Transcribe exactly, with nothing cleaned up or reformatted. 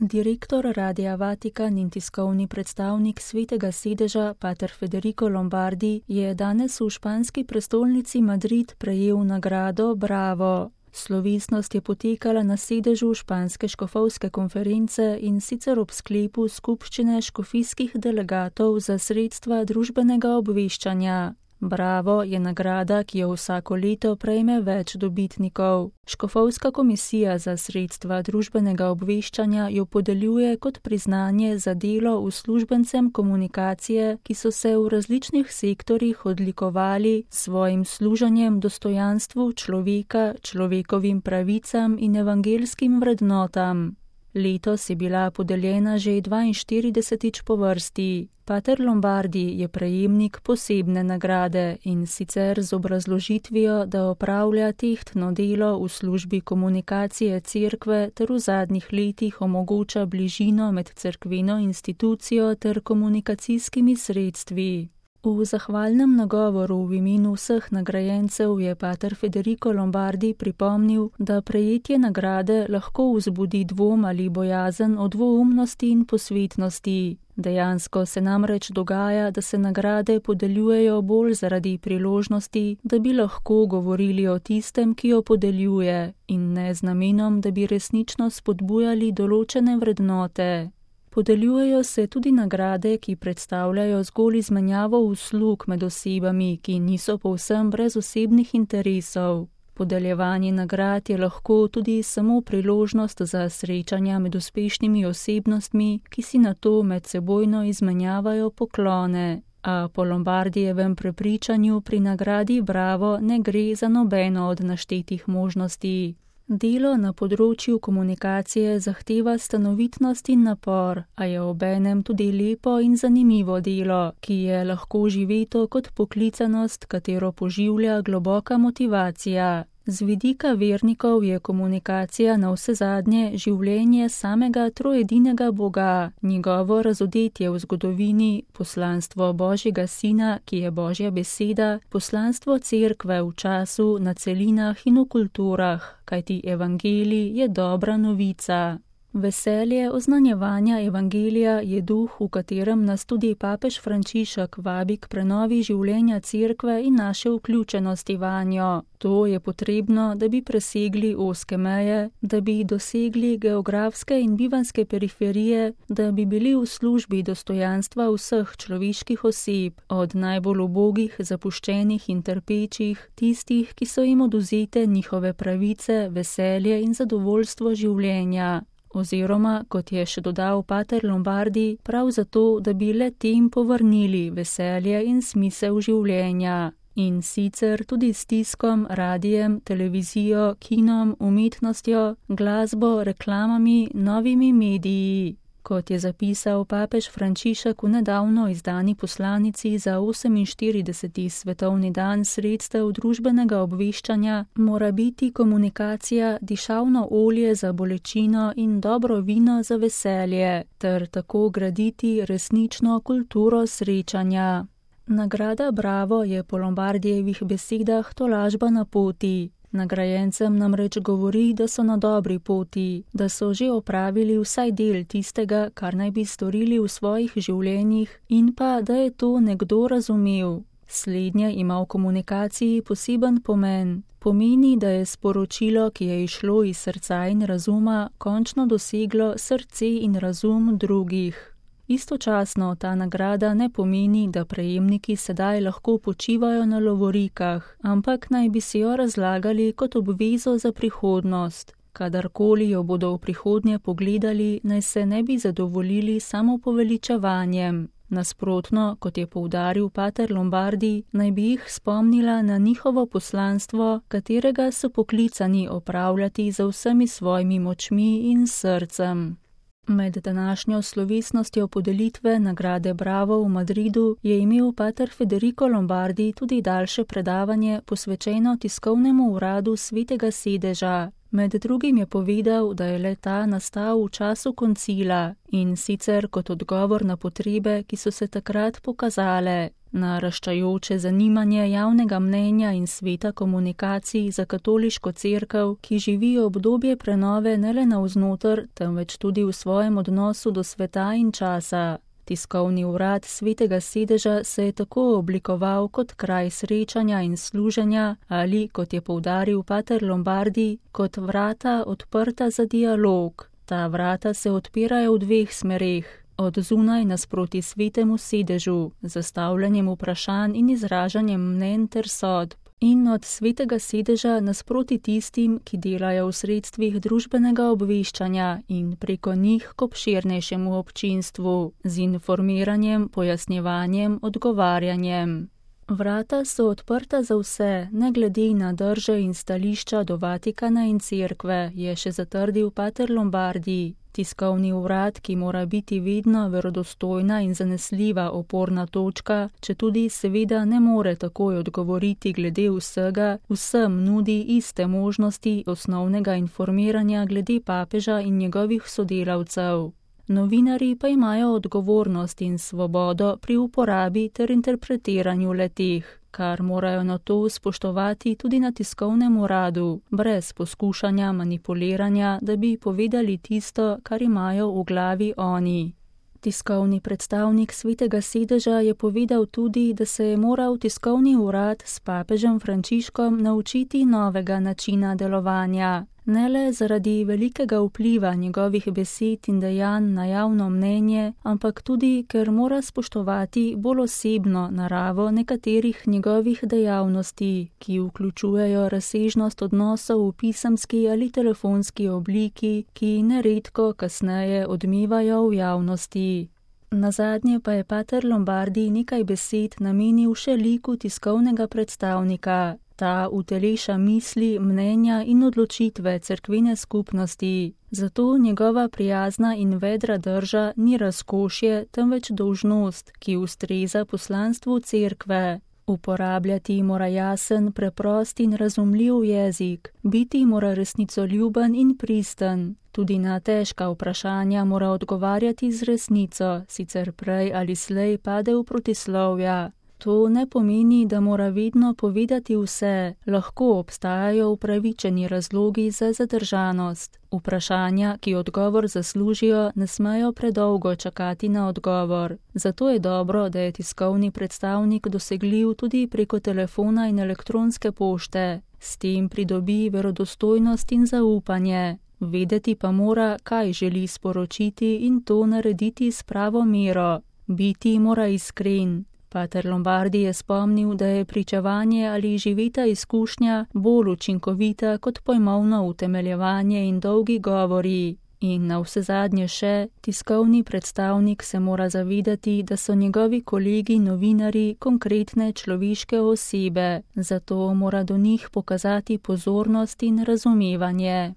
Direktor Radia Vatikan in tiskovni predstavnik Svetega sedeža, pater Federico Lombardi, je danes v španski prestolnici Madrid prejel nagrado Bravo. Slovesnost je potekala na sedežu španske škofovske konference in sicer ob sklepu skupščine škofijskih delegatov za sredstva družbenega obveščanja. Bravo je nagrada, ki jo vsako leto prejme več dobitnikov. Škofovska komisija za sredstva družbenega obveščanja jo podeljuje kot priznanje za delo uslužbencem komunikacije, ki so se v različnih sektorjih odlikovali s svojim služenjem dostojanstvu človeka, človekovim pravicam in evangelskim vrednotam. Letos je bila podeljena že dvainštiridesetič po vrsti. Pater Lombardi je prejemnik posebne nagrade in sicer z obrazložitvijo, da opravlja tehtno delo v službi komunikacije cerkve ter v zadnjih letih omogoča bližino med cerkveno institucijo ter komunikacijskimi sredstvi. V zahvalnem nagovoru v imenu vseh nagrajencev je pater Federico Lombardi pripomnil, da prejetje nagrade lahko vzbudi dvom ali bojazen o dvoumnosti in posvetnosti. Dejansko se namreč dogaja, da se nagrade podeljujejo bolj zaradi priložnosti, da bi lahko govorili o tistem, ki jo podeljuje, in ne z namenom, da bi resnično spodbujali določene vrednote. Podeljujejo se tudi nagrade, ki predstavljajo zgolj izmenjavo uslug med osebami, ki niso povsem brez osebnih interesov. Podeljevanje nagrad je lahko tudi samo priložnost za srečanja med uspešnimi osebnostmi, ki si nato medsebojno izmenjavajo poklone. A po Lombardijevem prepričanju pri nagradi Bravo ne gre za nobeno od naštetih možnosti. Delo na področju komunikacije zahteva stanovitnost in napor, a je obenem tudi lepo in zanimivo delo, ki je lahko živeto kot poklicanost, katero poživlja globoka motivacija. Z vidika vernikov je komunikacija navsezadnje življenje samega troedinega Boga, njegovo razodetje v zgodovini, poslanstvo Božjega Sina, ki je Božja beseda, poslanstvo cerkve v času, na celinah in v kulturah, kajti evangelij je dobra novica. Veselje oznanjevanja evangelija je duh, v katerem nas tudi papež Frančišek vabi k prenovi življenja cerkve in naše vključenosti vanjo. To je potrebno, da bi presegli ozke meje, da bi dosegli geografske in bivanske periferije, da bi bili v službi dostojanstva vseh človeških oseb, od najbolj ubogih, zapuščenih in trpečih, tistih, ki so jim odvzete njihove pravice, veselje in zadovoljstvo življenja. Oziroma, kot je še dodal pater Lombardi, prav zato, da bi le tem povrnili veselje in smisel življenja. In sicer tudi s tiskom, radijem, televizijo, kinom, umetnostjo, glasbo, reklamami, novimi mediji. Kot je zapisal papež Frančišek v nedavno izdani poslanici za oseminštirideseti svetovni dan sredstev družbenega obveščanja, mora biti komunikacija dišavno olje za bolečino in dobro vino za veselje, ter tako graditi resnično kulturo srečanja. Nagrada Bravo je po Lombardijevih besedah tolažba na poti. Nagrajencem namreč govori, da so na dobri poti, da so že opravili vsaj del tistega, kar naj bi storili v svojih življenjih, in pa, da je to nekdo razumel. Slednje ima v komunikaciji poseben pomen. Pomeni, da je sporočilo, ki je išlo iz srca in razuma, končno doseglo srce in razum drugih. Istočasno ta nagrada ne pomeni, da prejemniki sedaj lahko počivajo na lovorikah, ampak naj bi si jo razlagali kot obvezo za prihodnost. Kadarkoli jo bodo v prihodnje pogledali, naj se ne bi zadovoljili samo poveličevanjem. Nasprotno, kot je poudaril pater Lombardi, naj bi jih spomnila na njihovo poslanstvo, katerega so poklicani opravljati za vsemi svojimi močmi in srcem. Med današnjo slovesnostjo podelitve nagrade Bravo v Madridu je imel pater Federico Lombardi tudi daljše predavanje posvečeno tiskovnemu uradu Svetega sedeža. Med drugim je povedal, da je le-ta nastal v času koncila in sicer kot odgovor na potrebe, ki so se takrat pokazale. Naraščajoče zanimanje javnega mnenja in sveta komunikacij za katoliško cerkev, ki živi obdobje prenove ne le navznoter, temveč tudi v svojem odnosu do sveta in časa. Tiskovni urad Svetega sedeža se je tako oblikoval kot kraj srečanja in služenja ali, kot je poudaril pater Lombardi, kot vrata odprta za dialog. Ta vrata se odpirajo v dveh smereh, od zunaj nasproti Svetemu sedežu, z zastavljanjem vprašanj in izražanjem mnenj ter sodb, in od Svetega sedeža nasproti tistim, ki delajo v sredstvih družbenega obveščanja in preko njih k obširnejšemu občinstvu, z informiranjem, pojasnjevanjem, odgovarjanjem. Vrata so odprta za vse, ne glede na drže in stališča do Vatikana in cerkve, je še zatrdil pater Lombardi. Tiskovni urad, ki mora biti vedno verodostojna in zanesljiva oporna točka, četudi seveda ne more takoj odgovoriti glede vsega, vsem nudi iste možnosti osnovnega informiranja glede papeža in njegovih sodelavcev. Novinarji pa imajo odgovornost in svobodo pri uporabi ter interpretiranju le-teh, kar morajo na to spoštovati tudi na tiskovnem uradu, brez poskušanja manipuliranja, da bi povedali tisto, kar imajo v glavi oni. Tiskovni predstavnik Svetega sedeža je povedal tudi, da se je moral tiskovni urad s papežem Frančiškom naučiti novega načina delovanja. Ne le zaradi velikega vpliva njegovih besed in dejanj na javno mnenje, ampak tudi, ker mora spoštovati bolj osebno naravo nekaterih njegovih dejavnosti, ki vključujejo razsežnost odnosov v pisemski ali telefonski obliki, ki neredko kasneje odmevajo v javnosti. Nazadnje pa je pater Lombardi nekaj besed namenil še liku tiskovnega predstavnika. Ta uteleša misli, mnenja in odločitve cerkvene skupnosti. Zato njegova prijazna in vedra drža ni razkošje, temveč dolžnost, ki ustreza poslanstvu cerkve. Uporabljati mora jasen, preprost in razumljiv jezik, biti mora resnicoljuben in pristen. Tudi na težka vprašanja mora odgovarjati z resnico, sicer prej ali slej pade v protislovja. To ne pomeni, da mora vedno povedati vse, lahko obstajajo upravičeni razlogi za zadržanost. Vprašanja, ki odgovor zaslužijo, ne smejo predolgo čakati na odgovor. Zato je dobro, da je tiskovni predstavnik dosegljiv tudi preko telefona in elektronske pošte. S tem pridobi verodostojnost in zaupanje. Vedeti pa mora, kaj želi sporočiti in to narediti s pravo mero. Biti mora iskren. Pater Lombardi je spomnil, da je pričevanje ali živeta izkušnja bolj učinkovita kot pojmovno utemeljevanje in dolgi govori. In navsezadnje še, tiskovni predstavnik se mora zavedati, da so njegovi kolegi novinarji konkretne človeške osebe, zato mora do njih pokazati pozornost in razumevanje.